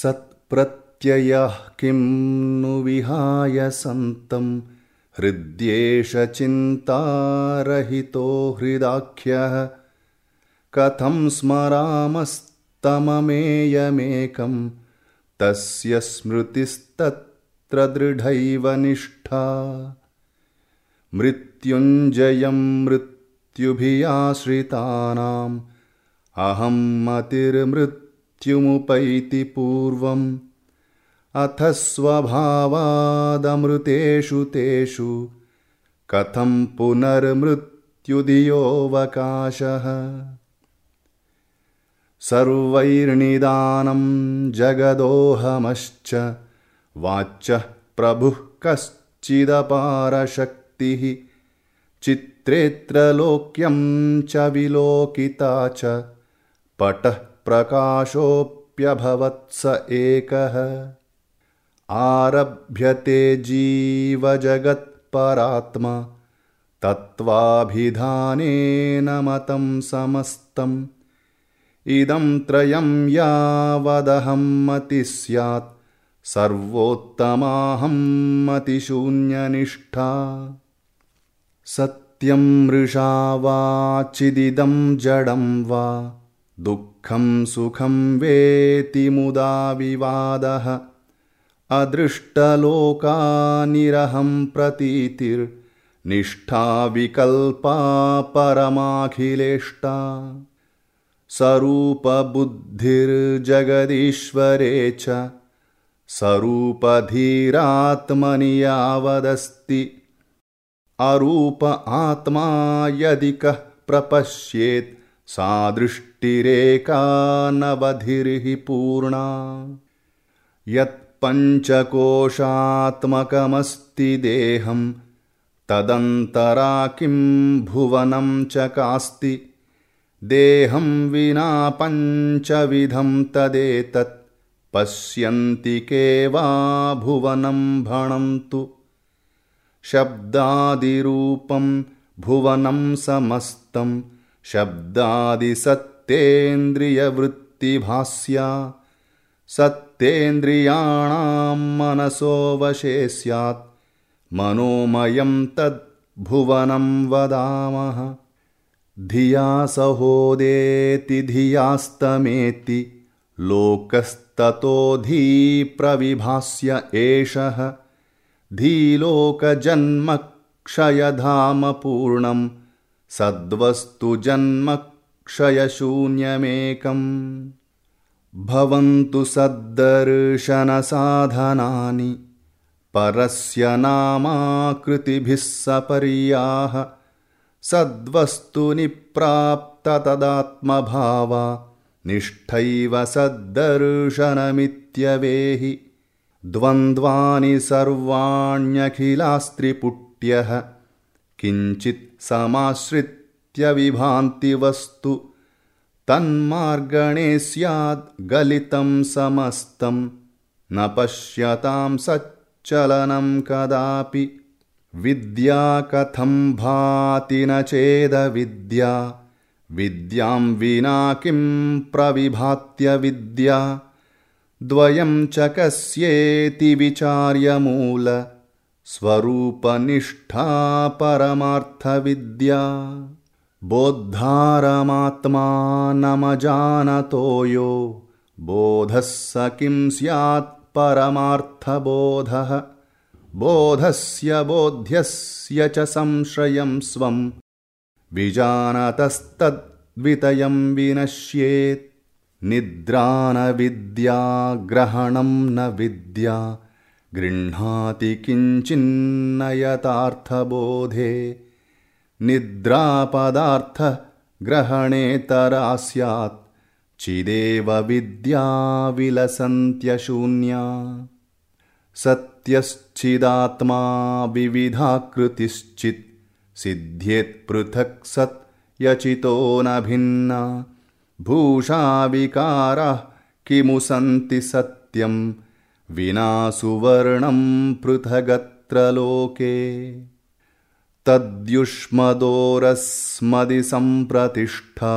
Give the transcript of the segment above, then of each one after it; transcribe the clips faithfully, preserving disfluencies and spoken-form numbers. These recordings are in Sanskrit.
सत्प्रत्ययः किं नु विहाय सन्तं हृद्येष चिन्तारहितो हृदाख्यः कथं स्मरामस्तममेयमेकं तस्य स्मृतिस्तत्र दृढैव निष्ठा मृत्युञ्जयं मृत्युभियाश्रितानाम् अहं मतिर्मृत्युमुपैति पूर्वम् अथ स्वभावादमृतेषु तेषु कथं पुनर्मृत्युधियोऽवकाशः सर्वैर्निदानं जगदोहमश्च वाच्यः प्रभुः कश्चिदपारशक्तिः चित्रेऽत्रलोक्यं च विलोकिता च पटः प्रकाशोऽप्यभवत्स एकः आरभ्यते जीवजगत्परात्मा तत्त्वाभिधानेन मतं समस्तम् इदं त्रयं यावदहं मतिः स्यात् सर्वोत्तमाहं मतिशून्यनिष्ठा सत्यं मृषा वा चिदिदं जडं वा दुःखं सुखं वेति मुदा विवादः अदृष्टलोकानिरहं प्रतीतिर्निष्ठा विकल्पा परमाखिलेष्टा स्वरूपबुद्धिर्जगदीश्वरे च स्वरूपधीरात्मनि यावदस्ति अरूप आत्मा यदि कः प्रपश्येत् सा दृष्टिरेका नवधिर्हि पूर्णा यत्पञ्चकोशात्मकमस्ति देहं तदन्तरा किं भुवनं च कास्ति देहं विना पञ्चविधं तदेतत् पश्यन्ति के वा भुवनं भणन्तु शब्दादिरूपं भुवनं समस्तं शब्दादिसत्तेन्द्रियवृत्तिभास्या सत्तेन्द्रियाणां मनसो वशे स्यात् मनोमयं तद्भुवनं वदामः धिया सहोदेति धियास्तमेति लोकस्ततो धी प्रविभास्य एषः धीलोकजन्मक्षयधाम पूर्णं सद्वस्तुजन्मक्षयशून्यमेकम् भवन्तु सद्दर्शनसाधनानि परस्य नामाकृतिभिः सपर्याः सद्वस्तुनि प्राप्त तदात्मभावा निष्ठैव सद्दर्शनमित्यवेहि द्वन्द्वानि सर्वाण्यखिलास्त्रिपुट्यः किञ्चित् समाश्रित्य विभान्ति वस्तु तन्मार्गणे स्याद् गलितं समस्तं न पश्यतां सच्चलनं कदापि विद्या कथं भाति न चेदविद्या विद्यां विना किं प्रविभात्य विद्या द्वयं च कस्येति विचार्य मूल स्वरूपनिष्ठा परमार्थविद्या बोद्धारमात्मानमजानतो यो बोधः स किं स्यात् परमार्थबोधः बोधस्य बोध्यस्य च संश्रयं स्वं विजानतस्तद्वितयं विनश्येत् निद्रा न विद्या ग्रहणं न विद्या गृह्णाति किञ्चिन्न यथार्थबोधे निद्रापदार्थः ग्रहणेतरा स्यात् चिदेव विद्या विलसन्त्यशून्या सत्यश्चिदात्मा विविधाकृतिश्चित् सिद्ध्येत् पृथक् सत् यचितो न भिन्ना भूषा विकाराः किमु सन्ति सत्यं विना सुवर्णं पृथगत्र लोके तद्युष्मदोरस्मदि सम्प्रतिष्ठा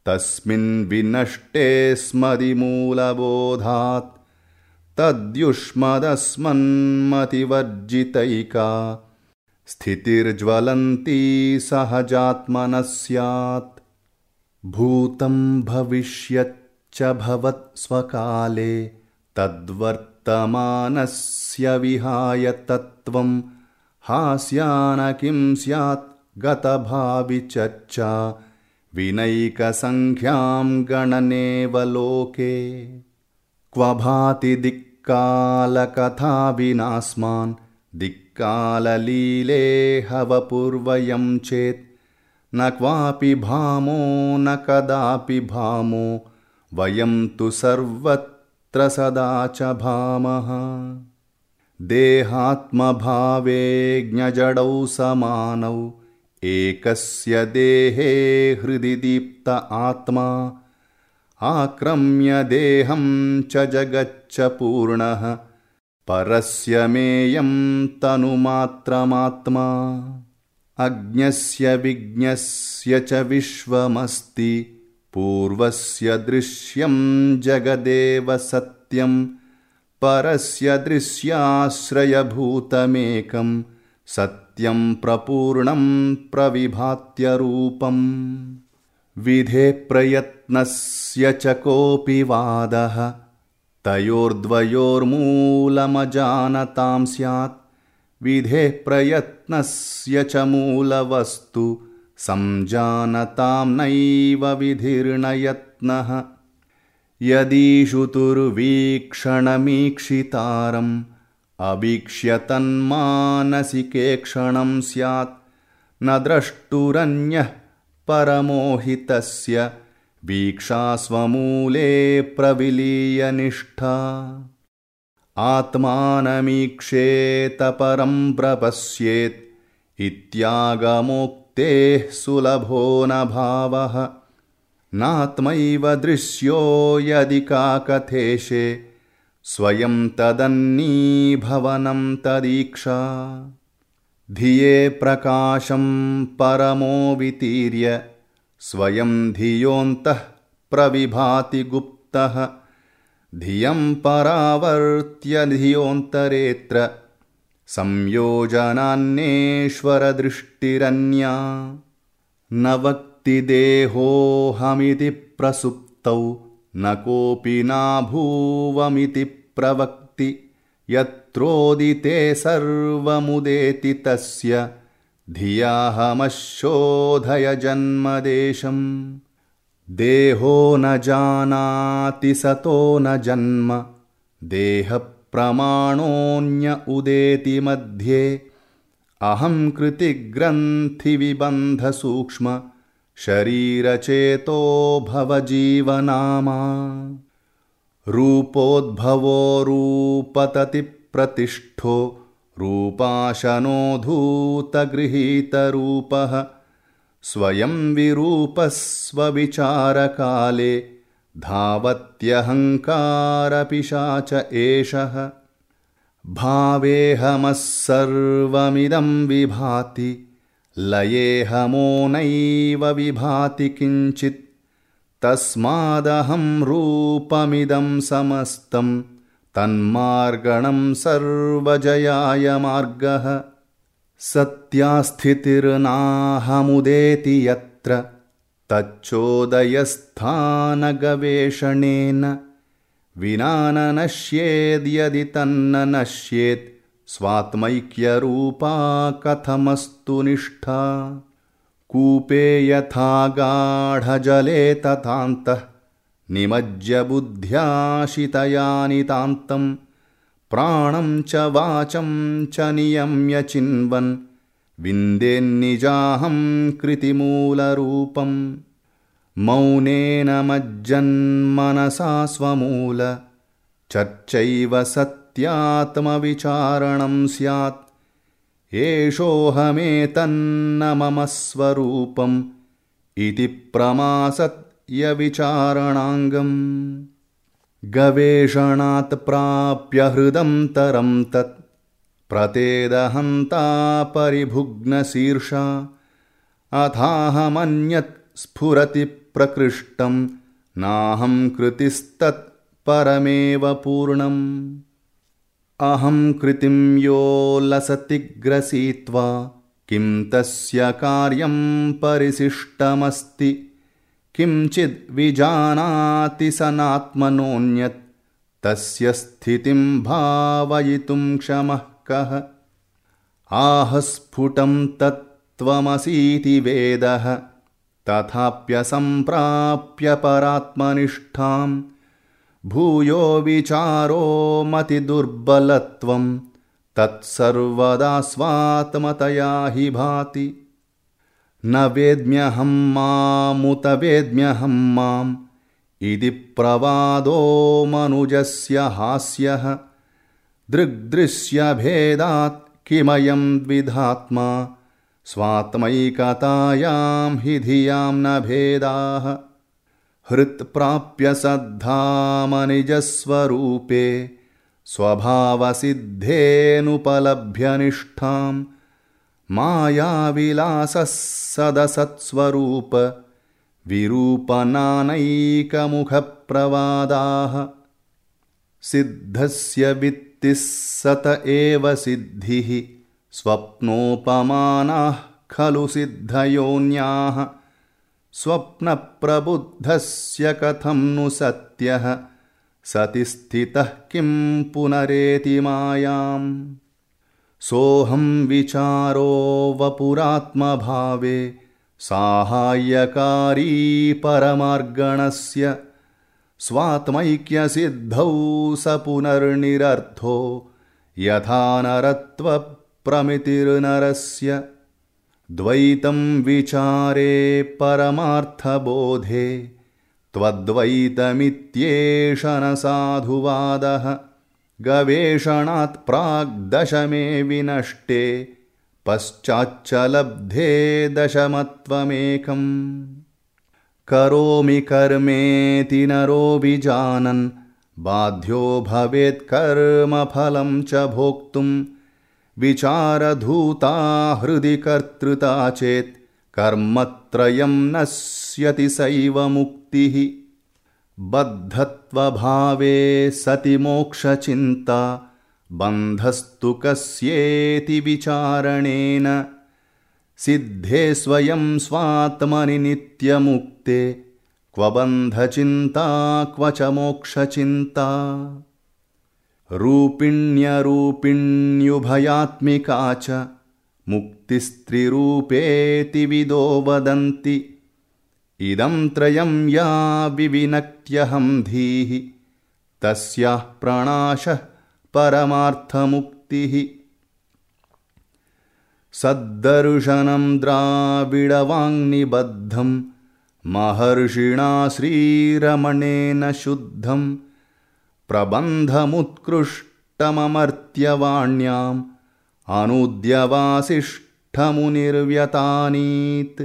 तस्मिन् विनष्टे स्मदि मूलबोधात् तद्युष्मदस्मन्मतिवर्जितैका स्थितिर्ज्वलन्ती सहजात्मनः स्यात्। भूतं भविष्यच्च भवत् स्वकाले तद्वर्तमानस्य विहाय तत्त्वं हास्यान किं स्यात् गतभावि चर्चा विनैकसङ्ख्यां गणनेव लोके। क्व भाति दिक्कालकथा विनास्मान् दिक्काललीलेहवपूर्वयं चेत् न क्वापि भामो न कदापि भामो वयं तु सर्वत्र सदा च भामः। देहात्मभावे ज्ञजडौ समानौ एकस्य देहे हृदि दीप्त आत्मा आक्रम्य देहं च जगच्च पूर्णः परस्य मेयं तनुमात्रमात्मा। अज्ञस्य विज्ञस्य च विश्वमस्ति पूर्वस्य दृश्यं जगदेव सत्यं परस्य दृश्याश्रयभूतमेकं सत्यं प्रपूर्णं प्रविभात्यरूपम्। विधे प्रयत्नस्य च कोऽपि वादः तयोर्द्वयोर्मूलमजानतां स्यात्। विधे प्रयत्नस्य च मूलवस्तु संजानतां नैव विधिर्न यत्नः। यदीषुतुर्वीक्षणमीक्षितारम् अवीक्ष्य तन्मानसिके क्षणं स्यात् न द्रष्टुरन्यः परमोहितस्य वीक्षा स्वमूले प्रविलीय निष्ठा। आत्मानमीक्षेत परं प्रपश्येत् इत्यागमोक्तेः सुलभो न भावः। नात्मैव दृश्यो यदि काकथेशे स्वयं तदन्नीभवनं तदीक्षा। धिये प्रकाशं परमो वितीर्य स्वयं धियोऽन्तः प्रविभाति गुप्तः। धियं परावर्त्य धियोऽन्तरेऽत्र संयोजनान्येश्वरदृष्टिरन्या। न वक्ति देहोऽहमिति प्रसुप्तौ न कोऽपि नाभूवमिति प्रवक्ति। यत्रोदिते सर्वमुदेति तस्य धियाहमशोधय जन्मदेशम्। देहो न जानाति सतो न जन्म देहप्रमाणोऽन्य उदेति मध्ये। अहं कृतिग्रन्थिविबन्धसूक्ष्म शरीरचेतो भवजीवनामा। रूपोद्भवो रूपततिप्रतिष्ठो रूपाशनो धूतगृहीतरूपः। स्वयं विरूपः स्वविचारकाले धावत्यहङ्कारपिशाच एषः। भावेऽहमः सर्वमिदं विभाति लयेऽहमो नैव विभाति किञ्चित्। तस्मादहं रूपमिदं समस्तं तन्मार्गणं सर्वजयाय मार्गः। सत्यास्थितिर्नाहमुदेति यत्र तच्चोदयस्थानगवेषणेन। विना न नश्येद्यदि तन्न नश्येत् स्वात्मैक्यरूपा कथमस्तु निष्ठा। कूपे यथा गाढजले तथान्तः निमज्य बुद्ध्या शितयानितान्तं। प्राणं च वाचं च नियम्य चिन्वन् विन्देन्निजाहं कृतिमूलरूपम्। मौनेन मज्जन्मनसा स्वमूल चर्चैव सत्यात्मविचारणं स्यात्। एषोऽहमेतन्न मम स्वरूपम् इति प्रमासत्यविचारणाङ्गम्। गवेषणात् प्राप्य हृदं तरं तत् प्रतेदहन्ता परिभुग्नशीर्षा। अथाहमन्यत् स्फुरति प्रकृष्टं नाहं कृतिस्तत् परमेव पूर्णम्। अहं कृतिं यो लसति ग्रसीत्वा किं तस्य कार्यं परिशिष्टमस्ति किंचिद् विजानाति सनात्मनोऽन्यत् तस्य स्थितिं भावयितुं क्षमः कः। आहस्फुटं तत्त्वमसीति वेदः तथाप्यसम्प्राप्य परात्मनिष्ठां भूयो विचारो मतिदुर्बलत्वं तत्सर्वदा स्वात्मतया हि भाति। न वेद्म्यहं मामुत वेद्म्यहं माम् इति प्रवादो मनुजस्य हास्यः दृग्दृश्यभेदात् किमयं द्विधात्मा स्वात्मैकतायां हि धियां न भेदाः। हृत्प्राप्य सद्धामनिजस्वरूपे स्वभावसिद्धेनुपलभ्य निष्ठां मायाविलासः सदसत्स्वरूप विरूपनानैकमुखप्रवादाः। सिद्धस्य वित्तिः सत एव सिद्धिः स्वप्नोपमानाः खलु सिद्धयोन्याः स्वप्नप्रबुद्धस्य कथं नु सत्यः सति स्थितः किं पुनरेति मायाम्। सोऽहं विचारो वपुरात्मभावे साहाय्यकारी परमार्गणस्य स्वात्मैक्यसिद्धौ स पुनर्निरर्थो यथा नरत्वप्रमितिर्नरस्य। द्वैतं विचारे परमार्थबोधे त्वद्वैतमित्येष न साधुवादः गवेषणात् प्राग्दशमे विनष्टे पश्चाच्च लब्धे दशमत्वमेकम्। करोमि कर्मेति नरो विजानन् बाध्यो भवेत् कर्मफलं च भोक्तुं विचारधूता हृदि कर्तृता चेत् कर्मत्रयं नश्यति सैव मुक्तिः। बद्धत्वभावे सति मोक्षचिन्ता बन्धस्तु कस्येति विचारणेन सिद्धे स्वयं स्वात्मनि नित्यमुक्ते क्व बन्धचिन्ता क्व च मोक्षचिन्ता। रूपिण्यरूपिण्युभयात्मिका च मुक्तिस्त्रिरूपेति विदो वदन्ति इदं त्रयं या विविनक्त्यहं धीः तस्याः प्रणाशः परमार्थमुक्तिः। सद्दर्शनं द्राविडवाङ्निबद्धं महर्षिणा श्रीरमणेन शुद्धं प्रबन्धमुत्कृष्टममर्त्यवाण्याम् अनुद्यवासिष्ठमुनिर्व्यतानीत्।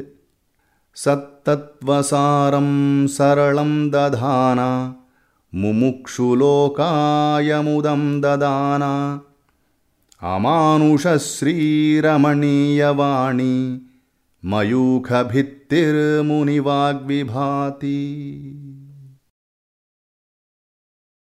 सत्तत्त्वसारं सरलं दधाना मुमुक्षुलोकायमुदं ददाना अमानुषश्रीरमणीयवाणी मयूखभित्तिर्मुनिवाग्विभाति।